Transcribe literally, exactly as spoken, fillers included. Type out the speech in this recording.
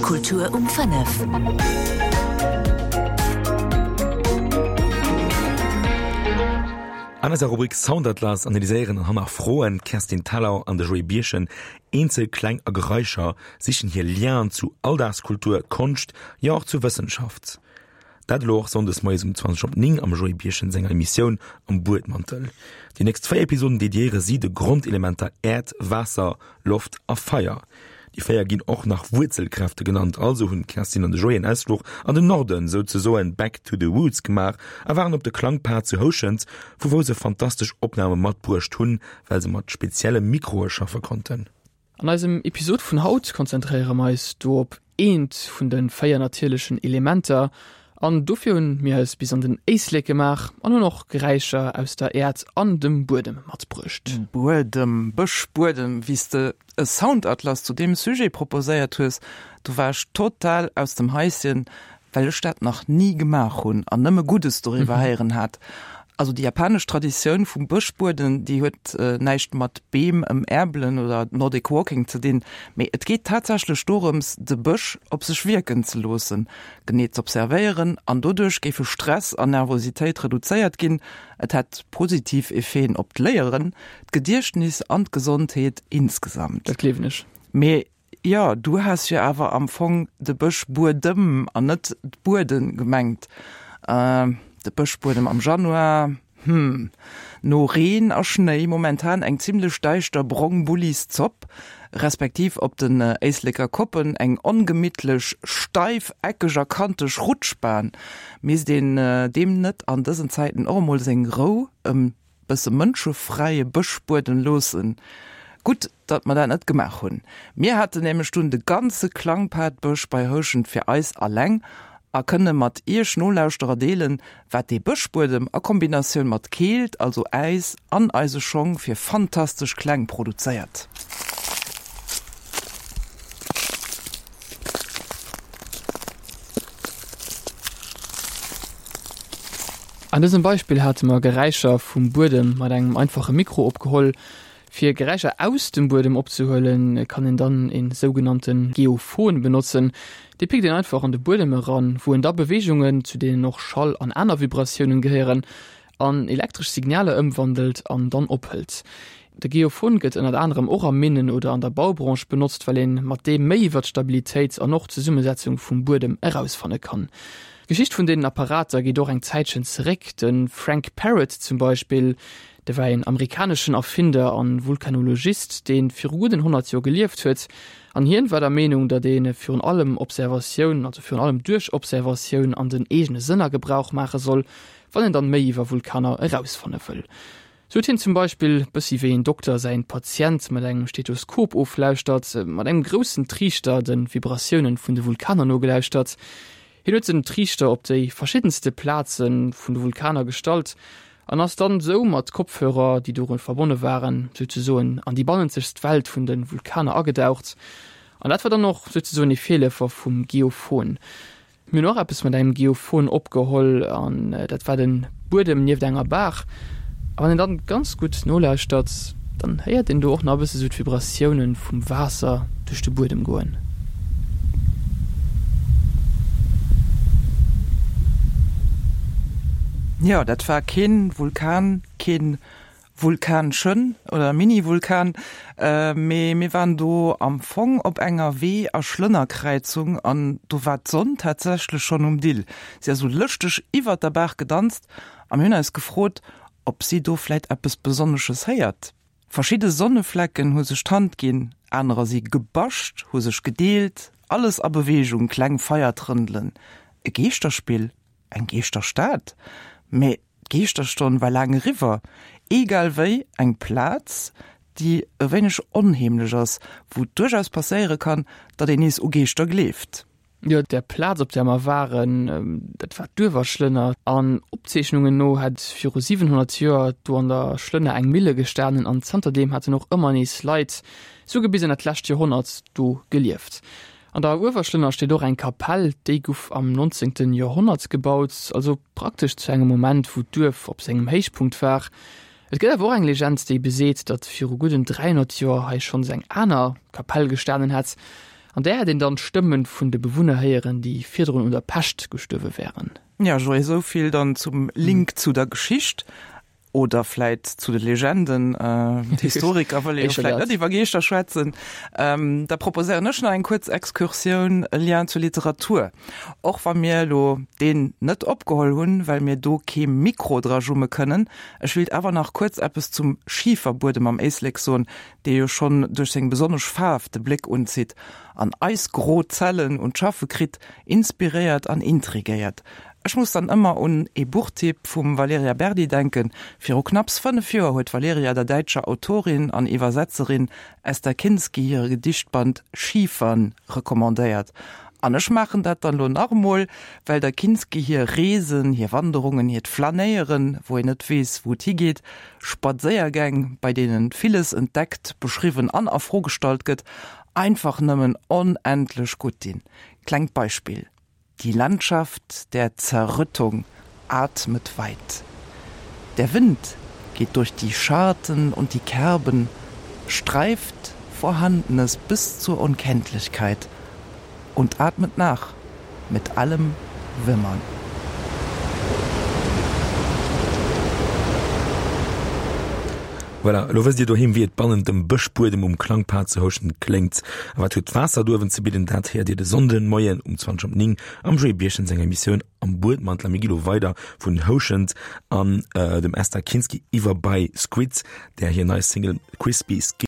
Kultur um fënnef. An eiser Rubrik Soundatlas analyséieren an hannerfroen d'Kerstin Thalau an de Joé Birchen eenzel Kläng a Geräischer, sichen hir Lienen zu Alldagskultur, Konscht, jo och zu Wëssenschaft. Dat elo och sonndes moies um zwanzeg op néng am Joé Birchen senger Emissioun Am Buedmantel. Déi nächst véier Episoden dediéiere si de Grondelementer Äerd, Waasser, Loft a Feier. Déi véier ginn och nach Wuerzelkräfte genannt. Also hunn d'Kerstin an de Joé en Ausfluch an den Norden, souzesoen back to the woods, gemaach a waren op de Klangpad zu Houschent, vu wou se fantastesch Opname matbruecht hunn, well se mat spezielle Mikroe schaffe konnten. An eisem Episod vun haut konzentréiere mer eis do op eent vun de véier natierlechen Elementer an dofir hunn mir eis bis an den Éislek gemaach an hunn och Geräischer aus der Äerd an dem Buedem matbruecht. Buedem, Bëschbuedem, wéi s de e Soundatlas zu deem Sujet proposéiert hues, do war ech total aus dem Haischen, well ech dat nach ni gemaach hunn an nëmme Guddes doriwwer héieren hat. Also déi japanesch Traditioun vum Bëschbueden, déi huet näischt mat Beem ëmäerbelen oder Nordic Walking ze dinn, mee et geet tatsächlech dorëms, de Bësch op sech wierken ze loossen, genee z'observéieren an doduerch géife Stress an Nervositéit reduzéiert ginn. Et hätt positiv Effeten op d'Léieren, d'Gediechtnis an d'Gesondheet insgesamt. Dat gleewen ech. Mee jo, du has jo awer am Fong de Bëschbuedem an net d'Bueden gemengt. De Bëschbuedem am Januar, hm, no Reen a Schnéi momentan eng zimlech däischter brong Bullis Zopp, respektiv op den Éisleker Koppen eng ongemittlech, steif, eckeg a kanteg Rutschbahn. Misst een deem net an dësen Zäiten och emol seng Rou, e bësse mënschefräie Bëschbuedem loossen? Gutt, datt mer dat net gemaach hunn. Mir haten nämlech dunn de ganze Klangpadbësch bei Houschent fir eis alleng a kënne mat iech Nolauschterer deelen, wat dee Bëschbuedem a Kombinatioun mat Keelt, also Äis, an eise Schong fir fantastesch Kläng produzéiert. An dësem Beispill hate mer Geräischer vum Buedem mat engem einfache Mikro opgeholl. Fir Geräischer aus dem Buedem opzehuelen, kann een dann een sougenannte Geophon benotzen. Dee pickt een einfach an de Buedem eran, wou en da Beweegungen, zu deenen och Schall an aner Vibratiounen gehéieren, an elektresch Signaler ëmwandelt an dann ophëlt. De Geophon gëtt ënnert anerem och a Minnen oder an der Baubranche benotzt, well een mat deem méi iwwer d'Stabilitéit an och d'Zesummesetzung vum Buedem erausfanne kann. D'Geschicht vun deenen Apparater geet och eng Zäitchen zeréck. De Frank Parrot zum Beispill, de war een amerikaneschen Erfinder an Vulkanologist, dee viru gudden honnert Joer gelieft huet. An hien war der Meenung, datt ee virun allem Observatioun, also virun allem duerch Observatioun an den eegene Sënner Gebrauch maache soll, wann een dann méi iwwer Vulkaner erausfanne wëll. Sou huet hien zum Beispill, bëssi wéi een Dokter säin Patient mat engem Stethoskop oflauschtert, mat engem groussen Triichter de Vibratiounen vun de Vulkaner nogelauschtert. Hien huet den Triichter op déi verschiddenste Plaze vun de Vulkaner gestallt an ass dann sou mat Kopfhörer, déi doru verbonne waren, souzesoen an déi bannenzegst Welt vun de Vulkaner agedaucht. An dat war dann och souzesoen ee Virleefer vum Geophon. Mir hunn och eppes mat engem Geophon opgeholl an dat war de Buedem nieft enger Baach. A wann een dann ganz gutt nolauschtert, dann héiert een do och nach e bësse sou d'Vibratiounen vum Waasser duerch de Buedem goen. Jo, dat war keen Vulkan, keen Vulkanchen oder Mini-Vulkan, mee mir waren do am Fong op enger Wee a Schlënnerkräizung an do war d'Sonn tatsächlech schonn um Dill. Si ass sou lëschteg iwwert der Baach gedanzt a mir hunn eis gefrot, ob si do vläit eppes Besonnesches héiert. Verschidde Sonneflecken hu sech d'Hand ginn, anerer si gebascht, hu sech gedeelt, alles a Beweegung, kleng Feiertrëndelen. E Geeschterspill? Eng Geeschterstad? Mee d'Geeschterstonn war laang eriwwer. Egal wéi, eng Plaz, déi e wéineg onheemlech ass, wou et duerchaus passéiere kann, datt een nees u Geeschter gleeft. Jo, där Plaz, op där mer waren, dat war d'Uewerschlënner. An Opzeechnungen no hätt viru siwenhonnert Joer do an der Schlënner eng Mille gestanen an zanterdeem hätten och ëmmer nees Leit, souguer bis an dat lescht Joerhonnert, do gelieft. An der Uewerschlënner steet och eng Kapell, déi guff am nonzéngten Joerhonnert gebaut, also praktesch zu engem Moment, wou d'Duerf op sengem Héichpunkt war. Et gëtt awer och eng Legend, déi beseet, datt viru gudden dräihonnert Joer hei schonns eng aner Kapell gestanen hätt. An där hätt een dann d'Stëmmen vun de Bewunner héieren, déi virdrun un der Pescht gestuerwe wären. Ja, Joé, esou vill dann zum Link zu der Geschicht oder vläit zu de Legenden. D'Historiker wëlle jo vläit net iwwer Geeschter schwätzen. Da proposéieren ech nach eng kuerz Excursioun, e Lien zur Literatur. Och wa mir elo deen net opgeholl hunn, well mir do kee Mikro dra jumme kënnen. Ech wéilt awer nach kuerz eppes zum Schiferbuedem am Éislek soen, dee jo schonn duerch seng besonnesch Faarf de Bléck unzitt an eis gro Zellen un d'Schaffe kritt, inspiréiert an intrigéiert. Ech muss dann ëmmer un ee Buchtipp vum Valerija Berdi denken. Viru knapps fënnef Joer huet d'Valerija der däitscher Autorin an Iwwersetzerin Esther Kinsky hire Gedichtband Schiefern recommandéiert. An ech maachen dat dann elo nach emol, well der Kinsky hir Reesen, hir Wanderungen, hiert Flanéieren, wou een net weess, wou et higeet, Spadséiergäng, bei deenen villes entdeckt, beschriwwen an a Fro gestallt gëtt, einfach nëmmen onendlech gutt dinn. Klengt Beispill, Die Landschaft der Zerrüttung atmet weit. Der Wind geht durch die Scharten und die Kerben, streift Vorhandenes bis zur Unkenntlichkeit und atmet nach mit allem Wimmern. Voilà, elo wësst Dir doheem, wéi et bannent dem Bëschbuedem um Klangpad zu Houschent kléngt. A wat huet d'Waasser do uewen ze bidden? Dat héiert Dir de Sonnden Moien um zwanzeg op néng am Joé Birchen senger Emissioun Am Buedmantel. A mir gi lo weider vun Houschent an dem Esther Kinsky iwwer bei Squid, där hir nei Single Crispy Skin.